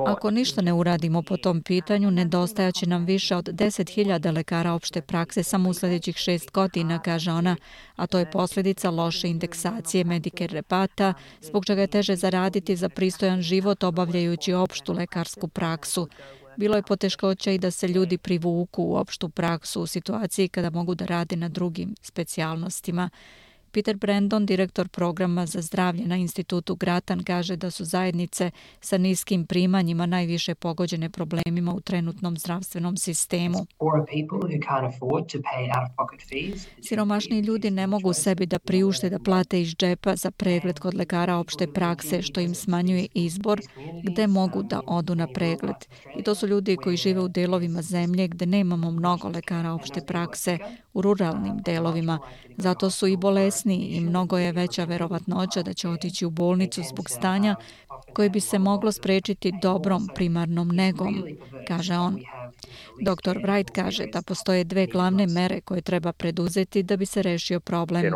Ako ništa ne uradimo po tom pitanju, nedostajaće nam više od deset hiljada lekara opšte prakse samo u sljedećih šest godina, kaže ona, a to je posljedica loše indeksacije Medicare rebata, zbog čega je teže zaraditi za pristojan život obavljajući opštu lekarsku praksu. Bilo je poteškoća i da se ljudi privuku u opštu praksu u situaciji kada mogu da rade na drugim specijalnostima. Peter Brandon, direktor programa za zdravlje na institutu Grattan, kaže da su zajednice sa niskim primanjima najviše pogođene problemima u trenutnom zdravstvenom sistemu. Siromašni ljudi ne mogu sebi da priušte da plate iz džepa za pregled kod lekara opšte prakse, što im smanjuje izbor gde mogu da odu na pregled. I to su ljudi koji žive u delovima zemlje gde nemamo mnogo lekara opšte prakse, u ruralnim delovima. Zato su i bolesni i mnogo je veća verovatnoća da će otići u bolnicu zbog stanja koje bi se moglo sprečiti dobrom primarnom negom, kaže on. doktor Wright kaže da postoje dve glavne mere koje treba preduzeti da bi se rešio problem.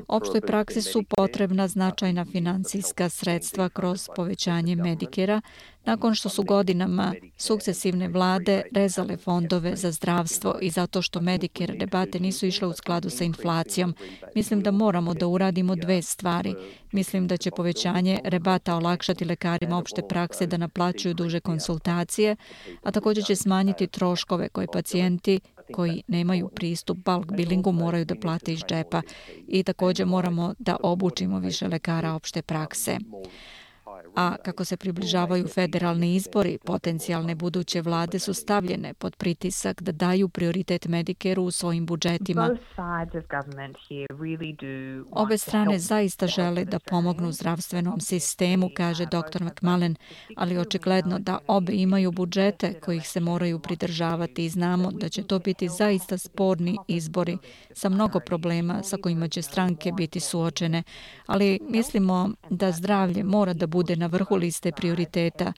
Opštoj praksi su potrebna značajna finansijska sredstva kroz povećanje Medicare-a, nakon što su godinama sukcesivne vlade rezale fondove za zdravstvo i zato što Medicare debate nisu išle u skladu sa inflacijom. Mislim da moramo da uradimo dve stvari. Mislim da će povećanje rebata olakšati lekarima opšte prakse da naplaćuju duže konsultacije, a također će smanjiti troškove koje pacijenti koji nemaju pristup bulk billingu moraju da plate iz džepa i također moramo da obučimo više lekara opšte prakse. A kako se približavaju federalni izbori, potencijalne buduće vlade su stavljene pod pritisak da daju prioritet Medicare-u u svojim budžetima. Obe strane zaista žele da pomognu zdravstvenom sistemu, kaže doktor McMullen, ali očigledno da obe imaju budžete kojih se moraju pridržavati i znamo da će to biti zaista sporni izbori sa mnogo problema sa kojima će stranke biti suočene, ali mislimo da zdravlje mora da bude na vrhu liste prioriteta.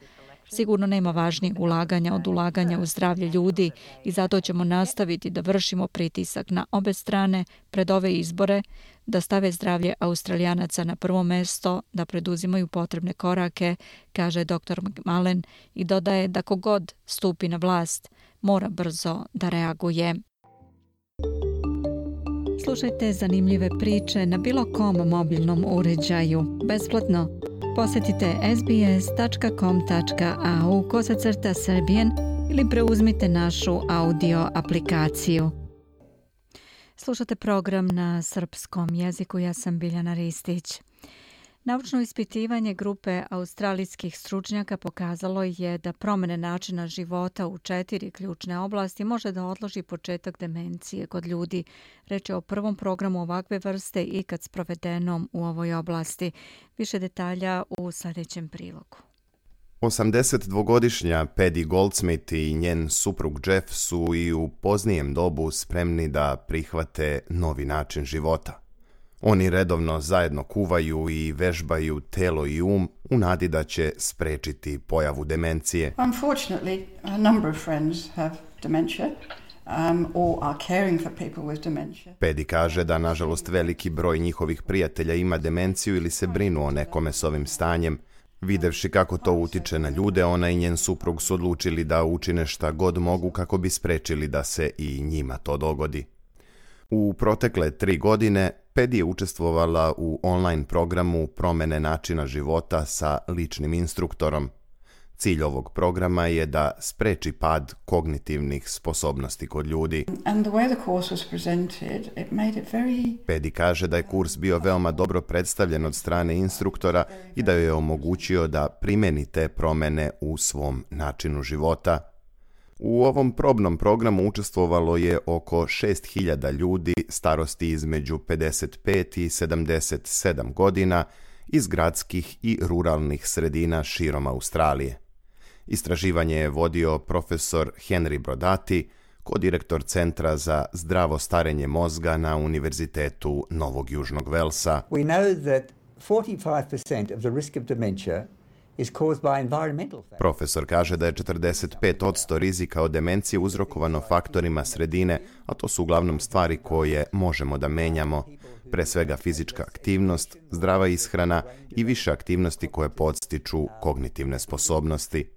Sigurno nema važnijih ulaganja od ulaganja u zdravlje ljudi i zato ćemo nastaviti da vršimo pritisak na obe strane pred ove izbore, da stave zdravlje Australijanaca na prvo mesto, da preduzimaju potrebne korake, kaže doktor McMullen i dodaje da kogod stupi na vlast mora brzo da reaguje. Slušajte zanimljive priče na bilo kom mobilnom uređaju, besplatno. Posjetite sbs.com.au kosacrta Serbian ili preuzmite našu audio aplikaciju. Slušate program na srpskom jeziku, ja sam Biljana Ristić. Naučno ispitivanje grupe australijskih stručnjaka pokazalo je da promjene načina života u četiri ključne oblasti može da odloži početak demencije kod ljudi. Reč je o prvom programu ovakve vrste ikad sprovedenom u ovoj oblasti. Više detalja u sljedećem prilogu. osamdesetdvogodišnja Paddy Goldsmith i njen suprug Jeff su i u poznijem dobu spremni da prihvate novi način života. Oni redovno zajedno kuvaju i vežbaju telo i um u nadi da će sprečiti pojavu demencije. Unfortunately, a number of friends have dementia. Um, or are caring for people with dementia. Paddy kaže da nažalost veliki broj njihovih prijatelja ima demenciju ili se brinu o nekome s ovim stanjem. Videvši kako to utiče na ljude, ona i njen suprug su odlučili da učine šta god mogu kako bi sprečili da se i njima to dogodi. U protekle tri godine Paddy je učestvovala u online programu promjene načina života sa ličnim instruktorom. Cilj ovog programa je da spreči pad kognitivnih sposobnosti kod ljudi. And the way the course was presented, it made it very... Paddy kaže da je kurs bio veoma dobro predstavljen od strane instruktora i da joj je omogućio da primeni te promjene u svom načinu života. U ovom probnom programu učestvovalo je oko šest hiljada ljudi starosti između pedeset pet i sedamdeset sedam godina iz gradskih i ruralnih sredina širom Australije. Istraživanje je vodio profesor Henry Brodati, kodirektor Centra za zdravo starenje mozga na Univerzitetu Novog Južnog Velsa. We know that forty-five percent of the risk of dementia Profesor kaže da je četrdeset pet posto rizika od demencije uzrokovano faktorima sredine, a to su uglavnom stvari koje možemo da menjamo, pre svega fizička aktivnost, zdrava ishrana i više aktivnosti koje podstiču kognitivne sposobnosti.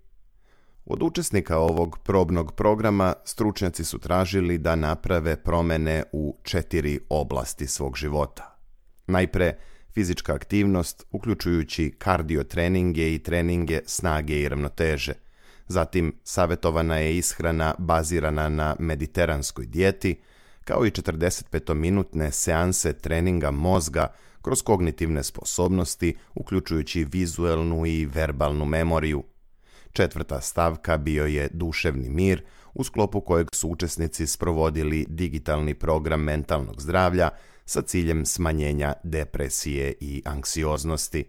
Od učesnika ovog probnog programa stručnjaci su tražili da naprave promene u četiri oblasti svog života. Najpre, fizička aktivnost, uključujući kardio treninge i treninge snage i ravnoteže. Zatim, savjetovana je ishrana bazirana na mediteranskoj dijeti, kao i četrdesetpetominutne seanse treninga mozga kroz kognitivne sposobnosti, uključujući vizuelnu i verbalnu memoriju. Četvrta stavka bio je duševni mir, u sklopu kojeg su učesnici sprovodili digitalni program mentalnog zdravlja sa ciljem smanjenja depresije i anksioznosti.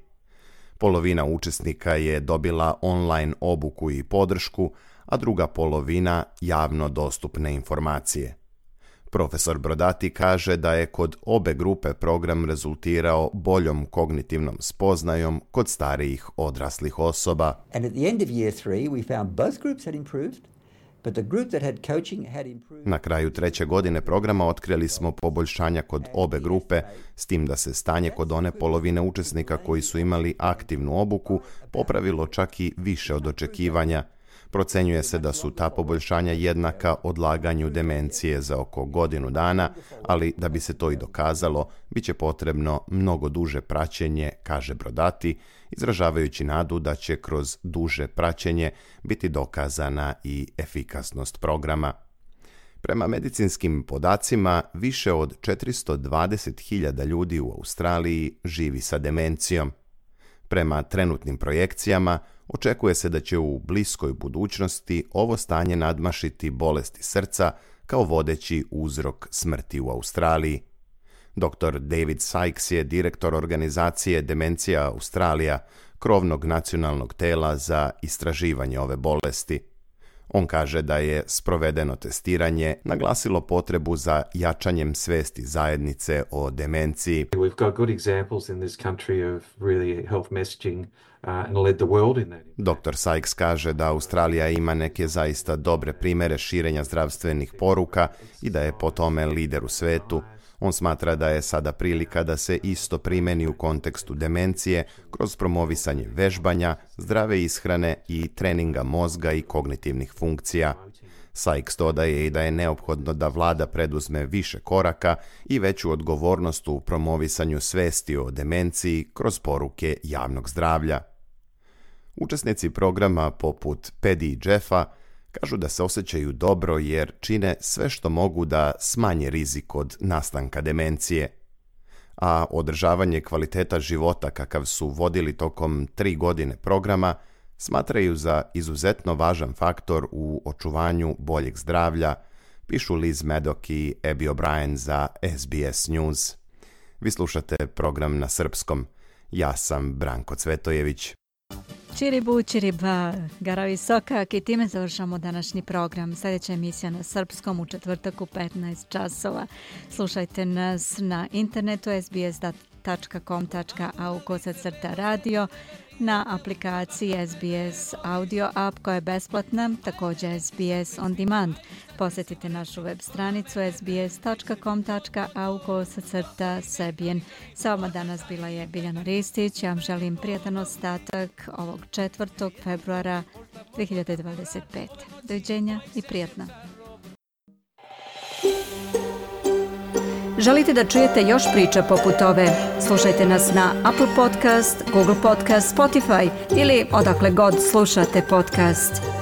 Polovina učesnika je dobila online obuku i podršku, a druga polovina javno dostupne informacije. Profesor Brodati kaže da je kod obe grupe program rezultirao boljom kognitivnom spoznajom kod starijih odraslih osoba. And at the end of year three we found both groups had improved. But the group that had coaching had improved. Na kraju treće godine programa otkrili smo poboljšanja kod obe grupe, s tim da se stanje kod one polovine učesnika koji su imali aktivnu obuku popravilo čak i više od očekivanja. Procenjuje se da su ta poboljšanja jednaka odlaganju demencije za oko godinu dana, ali da bi se to i dokazalo, bit će potrebno mnogo duže praćenje, kaže Brodati, izražavajući nadu da će kroz duže praćenje biti dokazana i efikasnost programa. Prema medicinskim podacima, više od četiristo dvadeset hiljada ljudi u Australiji živi sa demencijom. Prema trenutnim projekcijama, očekuje se da će u bliskoj budućnosti ovo stanje nadmašiti bolesti srca kao vodeći uzrok smrti u Australiji. doktor David Sykes je direktor organizacije Demencija Australija, krovnog nacionalnog tela za istraživanje ove bolesti. On kaže da je sprovedeno testiranje naglasilo potrebu za jačanjem svesti zajednice o demenciji. We've got good examples in this country of really health messaging uh, and led the world in that. doktor Sykes kaže da Australija ima neke zaista dobre primere širenja zdravstvenih poruka i da je po tome lider u svetu. On smatra da je sada prilika da se isto primeni u kontekstu demencije kroz promovisanje vežbanja, zdrave ishrane i treninga mozga i kognitivnih funkcija. Sykes dodaje i da je neophodno da vlada preduzme više koraka i veću odgovornost u promovisanju svesti o demenciji kroz poruke javnog zdravlja. Učesnici programa poput Pedi i Jeffa kažu da se osjećaju dobro jer čine sve što mogu da smanje rizik od nastanka demencije. A održavanje kvaliteta života kakav su vodili tokom tri godine programa smatraju za izuzetno važan faktor u očuvanju boljeg zdravlja, pišu Liz Maddock i Abby O'Brien za S B S News. Vi slušate program na srpskom. Ja sam Branko Cvetojević. Čiribu, čiriba, Garavi Sokak i time završamo današnji program. Sljedeća emisija na srpskom u četvrtak u petnaest časova. Slušajte nas na internetu s b s tačka com tačka a u kosacrta radio, na aplikaciji S B S Audio App koja je besplatna, također S B S On Demand. Posjetite našu web stranicu s b s tačka com tačka a u kosacrta Sebijen. Sa vama danas bila je Biljana Ristić. Ja vam želim prijatan ostatak ovog četvrtog februara dve hiljade dvadeset pete. Doviđenja i prijatna. Želite da čujete još priča poput ove? Slušajte nas na Apple Podcast, Google Podcast, Spotify ili odakle god slušate podcast.